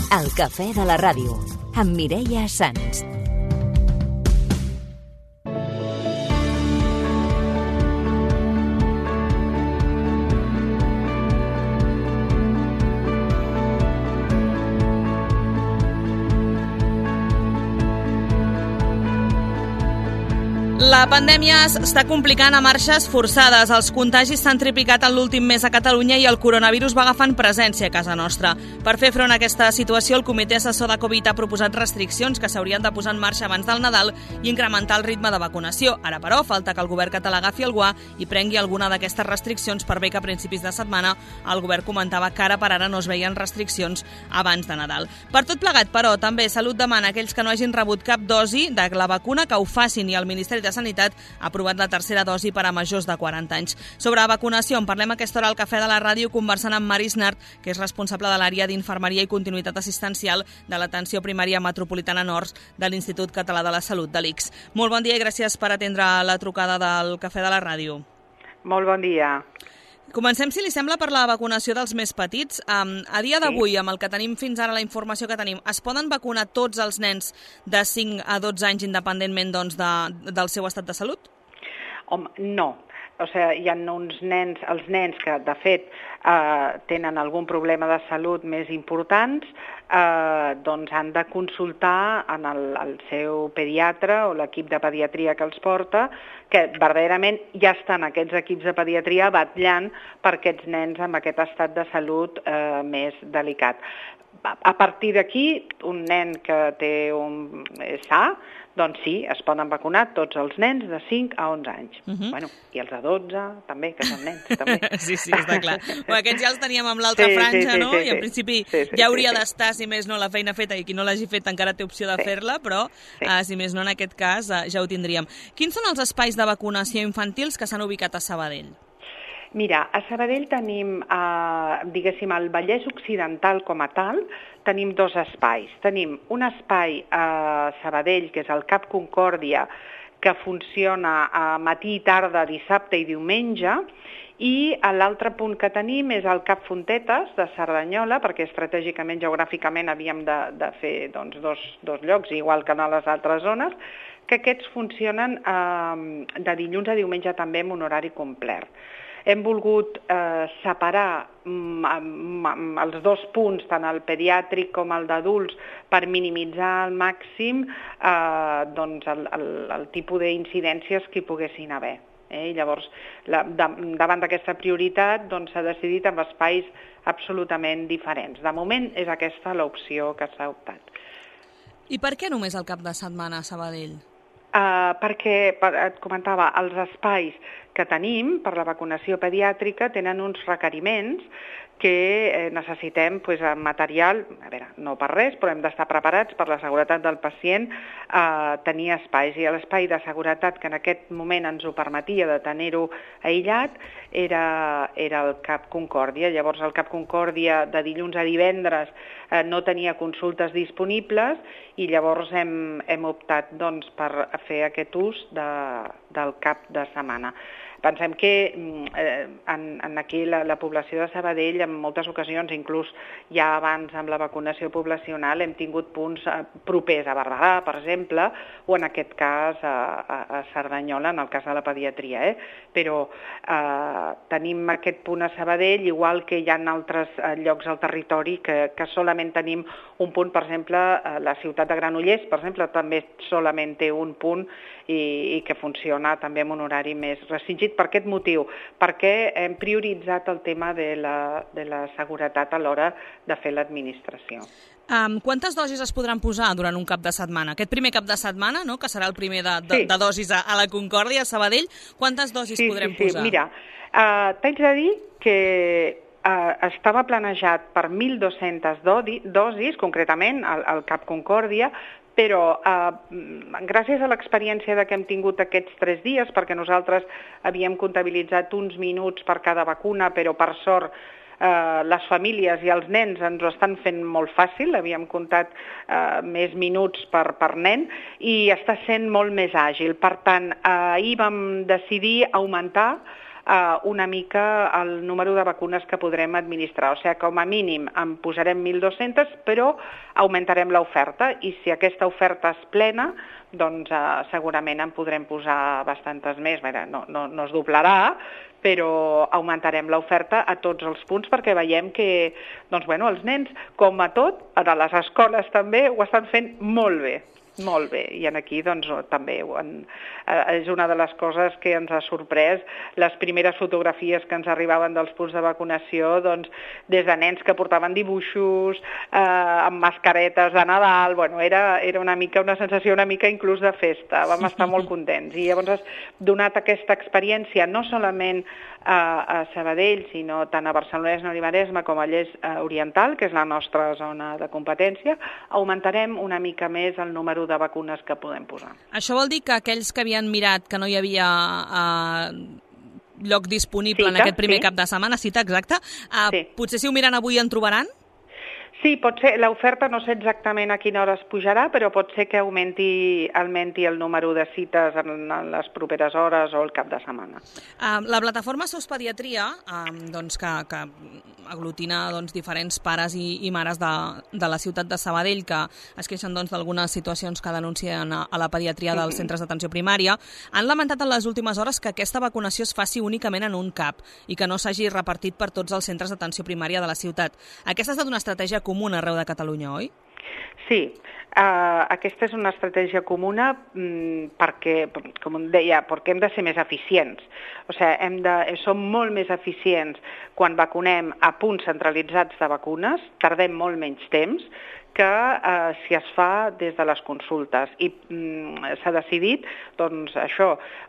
El cafè de la ràdio, amb Mireia Sans. La pandèmia està complicant a marxes forçades. Els contagis s'han triplicat en l'últim mes a Catalunya i el coronavirus va agafant presència a casa nostra. Per fer front a aquesta situació, el Comitè Assessor de Covid ha proposat restriccions que s'haurien de posar en marxa abans del Nadal i incrementar el ritme de vacunació. Ara, però, falta que el govern català agafi el guà i prengui alguna d'aquestes restriccions, per bé que a principis de setmana el govern comentava que ara per ara no es veien restriccions abans de Nadal. Per tot plegat, però, també Salut demana a aquells que no hagin rebut cap dosi de la vacuna que ho facin, i el Ministeri de Sanitat ha aprovat la tercera dosi per a majors de 40 anys. Sobre vacunació en parlem a aquesta hora al Cafè de la Ràdio, conversant amb Maris Nart, que és responsable de l'àrea d'Infermeria i Continuïtat Assistencial de l'Atenció Primària Metropolitana Nord de l'Institut Català de la Salut, de l'ICS. Molt bon dia i gràcies per atendre la trucada del Cafè de la Ràdio. Molt bon dia. Comencem, si li sembla, per la vacunació dels més petits. A dia d'avui, amb el que tenim fins ara, la informació que tenim, es poden vacunar tots els nens de 5 a 12 anys independentment del seu estat de salut? Home, no. O sigui, hi ha uns nens, els nens que, de fet, tenen algun problema de salut més importants, doncs han de consultar en el seu pediatre o l'equip de pediatria que els porta, que verdaderament ja estan aquests equips de pediatria batllant per aquests nens amb aquest estat de salut més delicat. A partir d'aquí, un nen que és sa, doncs sí, es poden vacunar tots els nens de 5 a 11 anys. Bueno, i els de 12 també, que són nens, també. Sí, està clar. Aquests ja els teníem amb l'altra franja, no? I en principi ja hauria d'estar, si més no, la feina feta, i qui no l'hagi fet encara té opció de fer-la, però si més no, en aquest cas ja ho tindríem. Quins són els espais de vacunació infantils que s'han ubicat a Sabadell? Mira, a Sabadell tenim, diguéssim, al Vallès Occidental com a tal, tenim dos espais. Tenim un espai a Sabadell, que és el Cap Concòrdia, que funciona a matí i tarda, dissabte i diumenge, i l'altre punt que tenim és el Cap Fontetes de Cerdanyola, perquè estratègicament, geogràficament, havíem de fer dos llocs, igual que en les altres zones, que aquests funcionen de dilluns a diumenge també amb un horari complet. Hem volgut separar els dos punts, tant el pediàtric com el d'adults, per minimitzar al màxim el tipus d'incidències que hi poguessin haver. I llavors, davant d'aquesta prioritat, s'ha decidit amb espais absolutament diferents. De moment és aquesta l'opció que s'ha optat. I per què només el cap de setmana a Sabadell? Perquè, et comentava, els espais que tenim per la vacunació pediàtrica tenen uns requeriments que necessitem material, a veure, no per res, però hem d'estar preparats per la seguretat del pacient, tenir espais. I l'espai de seguretat que en aquest moment ens ho permetia de tenir-ho aïllat era el Cap Concòrdia. Llavors el Cap Concòrdia de dilluns a divendres no tenia consultes disponibles i llavors hem optat per fer aquest ús del cap de setmana. Pensem que aquí la població de Sabadell en moltes ocasions, inclús ja abans amb la vacunació poblacional, hem tingut punts propers a Barberà, per exemple, o en aquest cas a Cerdanyola, en el cas de la pediatria. Però tenim aquest punt a Sabadell, igual que hi ha altres llocs al territori que solament tenim un punt. Per exemple, la ciutat de Granollers, per exemple, també solament té un punt i que funciona també amb un horari més restringit. Per aquest motiu, perquè hem prioritzat el tema de la seguretat a l'hora de fer l'administració. Quantes dosis es podran posar durant un cap de setmana? Aquest primer cap de setmana, no?, que serà el primer de dosis a la Concòrdia, a Sabadell, quantes dosis podrem posar? Mira, t'haig de dir que estava planejat per 1.200 dosis, concretament al Cap Concòrdia, però gràcies a l'experiència que hem tingut aquests 3 dies, perquè nosaltres havíem comptabilitzat uns minuts per cada vacuna, però per sort les famílies i els nens ens ho estan fent molt fàcil, havíem comptat més minuts per nen i està sent molt més àgil. Per tant, ahir vam decidir augmentar una mica el número de vacunes que podrem administrar. O sigui, com a mínim en posarem 1.200, però augmentarem l'oferta, i si aquesta oferta és plena, doncs segurament en podrem posar bastantes més. No es doblarà, però augmentarem l'oferta a tots els punts perquè veiem que els nens, com a tot, a les escoles també, ho estan fent molt bé. Molt bé, i aquí també és una de les coses que ens ha sorprès. Les primeres fotografies que ens arribaven dels punts de vacunació, des de nens que portaven dibuixos, amb mascaretes de Nadal, era una sensació una mica inclús de festa, vam estar molt contents. I llavors has donat aquesta experiència no solament a Sabadell, sinó tant a Barcelona i Maresme com a Lles Oriental, que és la nostra zona de competència, augmentarem una mica més el número de vacunes que podem posar. Això vol dir que aquells que havien mirat que no hi havia lloc disponible en aquest primer cap de setmana, cita exacta, potser si ho miren avui en trobaran? Sí, pot ser. L'oferta no sé exactament a quina hora es pujarà, però pot ser que augmenti el número de cites en les properes hores o el cap de setmana. La plataforma SOS Pediatria, que aglutina diferents pares i mares de la ciutat de Sabadell que es queixen d'algunes situacions que denuncien a la pediatria dels centres d'atenció primària, han lamentat en les últimes hores que aquesta vacunació es faci únicament en un CAP i que no s'hagi repartit per tots els centres d'atenció primària de la ciutat. Aquesta ha estat una estratègia comuna arreu de Catalunya, oi? Sí, aquesta és una estratègia comuna perquè, com deia, perquè hem de ser més eficients. O sigui, som molt més eficients quan vacunem a punts centralitzats de vacunes, tardem molt menys temps que si es fa des de les consultes. I s'ha decidit,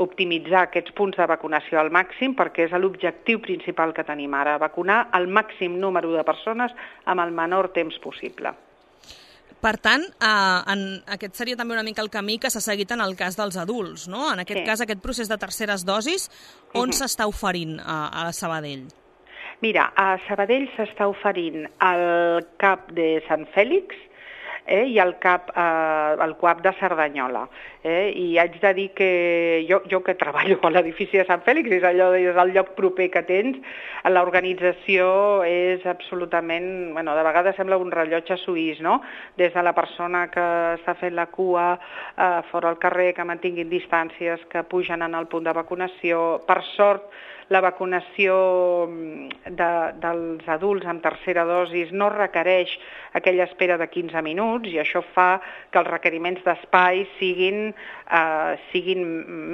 optimitzar aquests punts de vacunació al màxim perquè és l'objectiu principal que tenim ara, vacunar el màxim número de persones amb el menor temps possible. Per tant, aquest seria també una mica el camí que s'ha seguit en el cas dels adults, no? En aquest cas, aquest procés de terceres dosis, on s'està oferint a Sabadell? Mira, a Sabadell s'està oferint el CAP de Sant Fèlix i el CUAP de Cerdanyola. I haig de dir que jo que treballo a l'edifici de Sant Fèlix, és el lloc proper que tens, l'organització és absolutament, de vegades sembla un rellotge suís, no? Des de la persona que està fent la cua fora al carrer, que mantinguin distàncies, que pugen en el punt de vacunació. Per sort, la vacunació dels adults amb tercera dosis no requereix aquella espera de 15 minuts i això fa que els requeriments d'espai siguin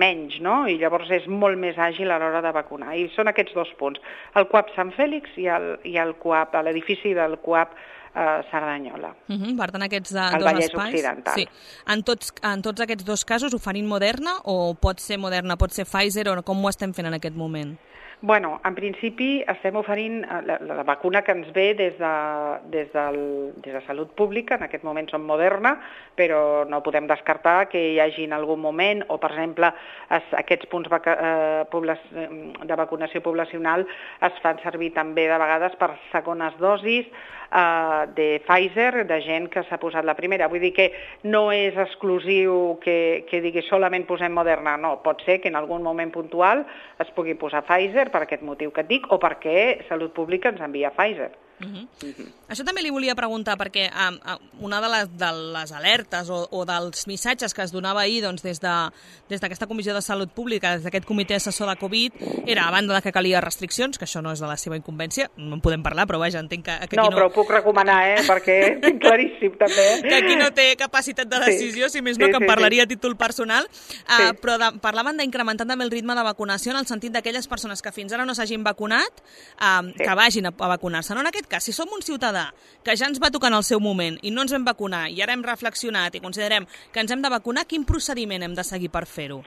menys, no? I llavors és molt més àgil a l'hora de vacunar. I són aquests dos punts, el CUAP Sant Fèlix i el CUAP, l'edifici del CUAP Cerdanyola. Per tant, aquests dos Vallès espais... Occidental. Sí. En tots aquests dos casos oferint Moderna o pot ser Moderna, pot ser Pfizer o com ho estem fent en aquest moment? Bueno, en principi estem oferint la vacuna que ens ve des de Salut Pública, en aquest moment som Moderna, però no podem descartar que hi hagi en algun moment, o per exemple aquests punts de vacunació poblacional es fan servir també de vegades per segones dosis de Pfizer, de gent que s'ha posat la primera. Vull dir que no és exclusiu que digui solament posem Moderna, no, pot ser que en algun moment puntual es pugui posar Pfizer per aquest motiu que et dic, o perquè Salut Pública ens envia Pfizer. Això també li volia preguntar, perquè una de les alertes o dels missatges que es donava ahir des d'aquesta Comissió de Salut Pública, des d'aquest comitè assessor de Covid, era, a banda de que calia restriccions, que això no és de la seva incumbència, no en podem parlar, però vaja, entenc que aquí no... No, però ho puc recomanar, perquè és claríssim també. Que aquí no té capacitat de decisió, si més no, que en parlaria a títol personal, però parlaven d'incrementar també el ritme de vacunació en el sentit d'aquelles persones que fins ara no s'hagin vacunat, que vagin a vacunar-se. No, en aquest cas, si som un ciutadà que ja ens va tocar en el seu moment i no ens vam vacunar i ara hem reflexionat i considerem que ens hem de vacunar, quin procediment hem de seguir per fer-ho?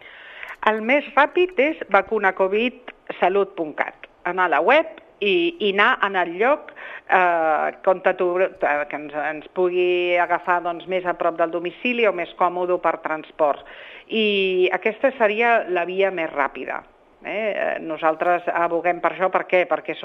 El més ràpid és vacunacovidsalut.cat. Anar a la web i anar en el lloc que ens pugui agafar més a prop del domicili o més còmode per transport. I aquesta seria la via més ràpida. Nosaltres aboguem per això, per què? Perquè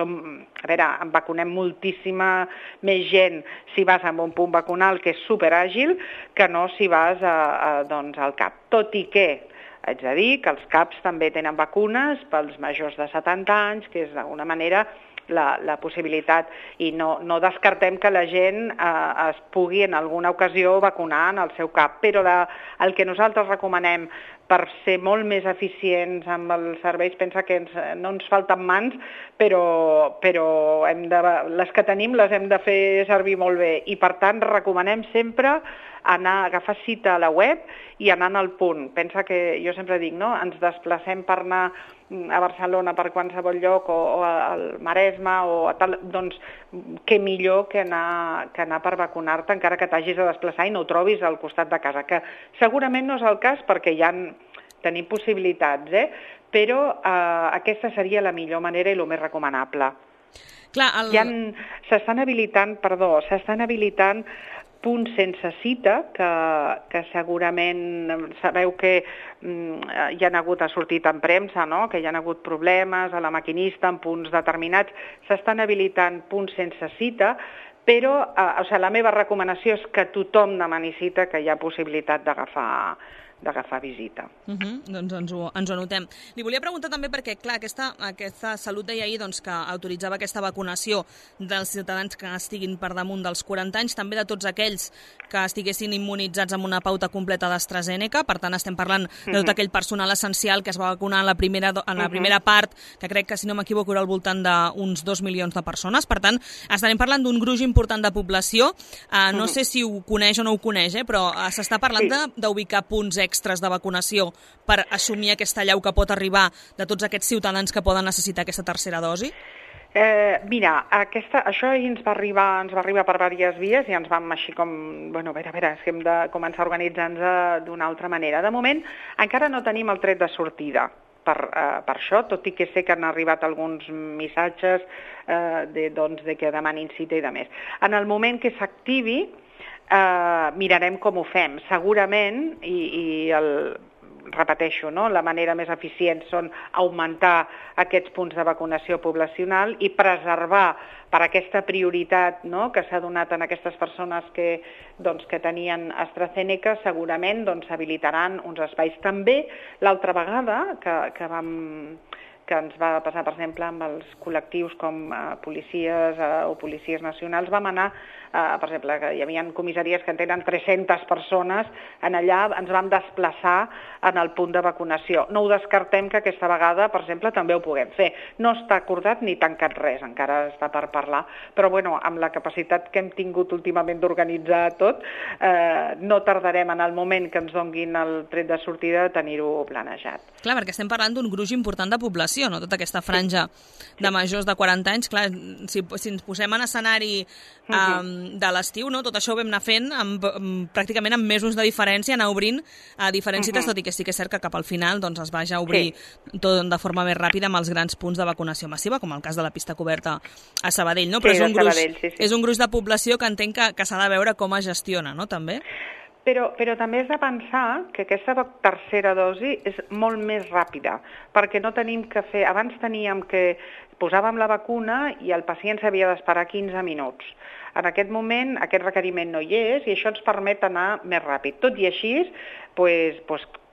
vacunem moltíssima més gent si vas a un punt vacunal que és superàgil que no si vas al CAP. Tot i que Haig de dir que els CAPs també tenen vacunes pels majors de 70 anys, que és d'alguna manera la possibilitat, i no descartem que la gent es pugui en alguna ocasió vacunar en el seu CAP, però el que nosaltres recomanem per ser molt més eficients amb els serveis, pensa que no ens falten mans, però les que tenim les hem de fer servir molt bé, i per tant recomanem sempre agafar cita a la web i anar al punt. Pensa que jo sempre dic, no? Ens desplacem per anar a Barcelona, per qualsevol lloc, o al Maresme, o a tal, doncs què millor que anar per vacunar-te, encara que t'hagis de desplaçar i no ho trobis al costat de casa, que segurament no és el cas perquè ja tenim possibilitats, però aquesta seria la millor manera i el més recomanable. S'estan habilitant punts sense cita, que segurament sabeu que hi ha sortit en premsa, no? Que hi ha hagut problemes a la maquinista en punts determinats. S'estan habilitant punts sense cita, però la meva recomanació és que tothom demani cita, que hi ha possibilitat d'agafar visita. Doncs ens ho anotem. Li volia preguntar també perquè, clar, aquesta Salut deia ahir que autoritzava aquesta vacunació dels ciutadans que estiguin per damunt dels 40 anys, també de tots aquells que estiguessin immunitzats amb una pauta completa d'AstraZeneca. Per tant, estem parlant de tot aquell personal essencial que es va vacunar en la primera part, que crec que, si no m'equivoco, era al voltant d'uns 2 milions de persones. Per tant, estarem parlant d'un gruix important de població. No sé si ho coneix o no ho coneix, però s'està parlant d'ubicar punts extres de vacunació per assumir aquesta allau que pot arribar de tots aquests ciutadans que poden necessitar aquesta tercera dosi? Mira, això ens va arribar per diverses vies i ens vam així com, a veure, és que hem de començar a organitzar-nos d'una altra manera. De moment, encara no tenim el tret de sortida per això, tot i que sé que han arribat alguns missatges de que demanin cita i de més. En el moment que s'activi, mirarem com ho fem. Segurament, repeteixo, la manera més eficient són augmentar aquests punts de vacunació poblacional i preservar per aquesta prioritat que s'ha donat en aquestes persones que tenien AstraZeneca. Segurament s'habilitaran uns espais. També l'altra vegada que ens va passar, per exemple, amb els col·lectius com policies o policies nacionals, vam anar, per exemple, que hi havia comissaries que en tenen 300 persones, allà ens vam desplaçar en el punt de vacunació. No ho descartem que aquesta vegada, per exemple, també ho puguem fer. No està acordat ni tancat res, encara està per parlar, però amb la capacitat que hem tingut últimament d'organitzar tot, no tardarem en el moment que ens donguin el tret de sortida de tenir-ho planejat. Clar, perquè estem parlant d'un gruix important de població, no? Tota aquesta franja de majors de 40 anys. Clar, si ens posem en escenari de l'estiu, tot això ho vam anar fent pràcticament amb mesos de diferència, anar obrint diferents cites, tot i que sí que és cert que cap al final es va ja obrir tot de forma més ràpida amb els grans punts de vacunació massiva, com el cas de la pista coberta a Sabadell, no? Però és un gruix de població que entenc que s'ha de veure com es gestiona, no? També? Però també has de pensar que aquesta tercera dosi és molt més ràpida, perquè no tenim que fer... Abans teníem que posàvem la vacuna i el pacient s'havia d'esperar 15 minuts. En aquest moment aquest requeriment no hi és i això ens permet anar més ràpid. Tot i així,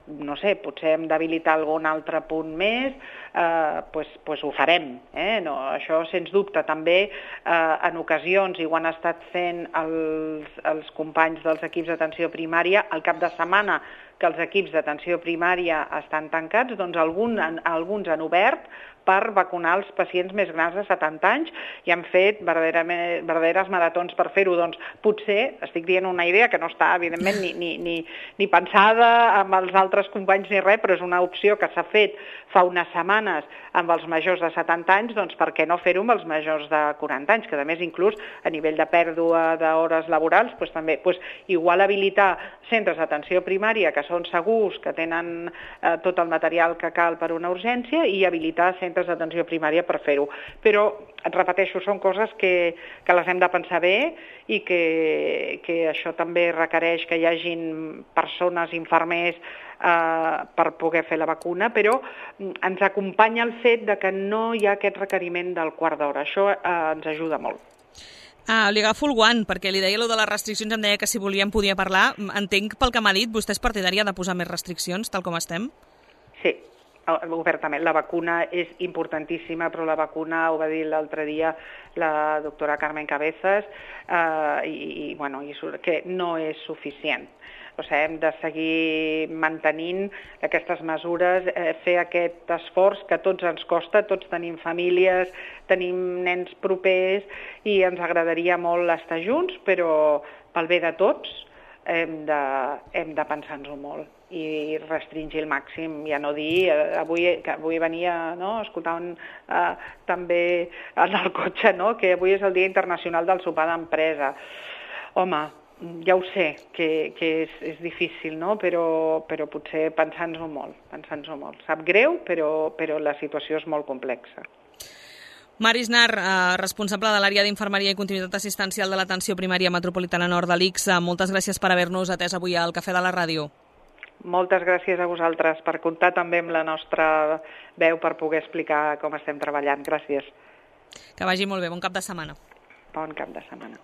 no sé, potser hem d'habilitar algun altre punt més, ho farem. Això, sens dubte, també en ocasions, i ho han estat fent els companys dels equips d'atenció primària, al cap de setmana que els equips d'atenció primària estan tancats, doncs alguns han obert per vacunar els pacients més grans de 70 anys i han fet verdaderes maratons per fer-ho. Doncs potser, estic dient una idea que no està, evidentment, ni pensada amb els altres companys ni res, però és una opció que s'ha fet fa unes setmanes amb els majors de 70 anys, doncs per què no fer-ho amb els majors de 40 anys, que a més inclús a nivell de pèrdua d'hores laborals, també igual habilitar centres d'atenció primària que són segurs, que tenen tot el material que cal per una urgència i habilitar centres d'atenció primària per fer-ho. Però, et repeteixo, són coses que les hem de pensar bé i que això també requereix que hi hagin persones, infermers, per poder fer la vacuna, però ens acompanya el fet de que no hi ha aquest requeriment del quart d'hora. Això ens ajuda molt. Li agafo el guant, perquè li deia allò de les restriccions, em deia que si volíem podia parlar. Entenc pel que m'ha dit, vostè és partidària de posar més restriccions, tal com estem? Sí, obertament. La vacuna és importantíssima, però la vacuna, ho va dir l'altre dia la doctora Carmen Cabezas, que no és suficient. O sigui, hem de seguir mantenint aquestes mesures, fer aquest esforç que a tots ens costa, tots tenim famílies, tenim nens propers i ens agradaria molt estar junts, però pel bé de tots hem de pensar-nos-ho molt i restringir al màxim, ja no dir, avui venia, no, escoltant també en el cotxe, no, que avui és el Dia Internacional del Sopar d'Empresa. Home, ja ho sé, que és difícil, no? Però potser pensar-nos-ho molt. Sap greu, però la situació és molt complexa. Mar Isnar, responsable de l'àrea d'Infermeria i Continuïtat Assistencial de l'Atenció Primària Metropolitana Nord de l'ICS, moltes gràcies per haver-nos atès avui al Cafè de la Ràdio. Moltes gràcies a vosaltres per comptar també amb la nostra veu per poder explicar com estem treballant. Gràcies. Que vagi molt bé. Bon cap de setmana. Bon cap de setmana.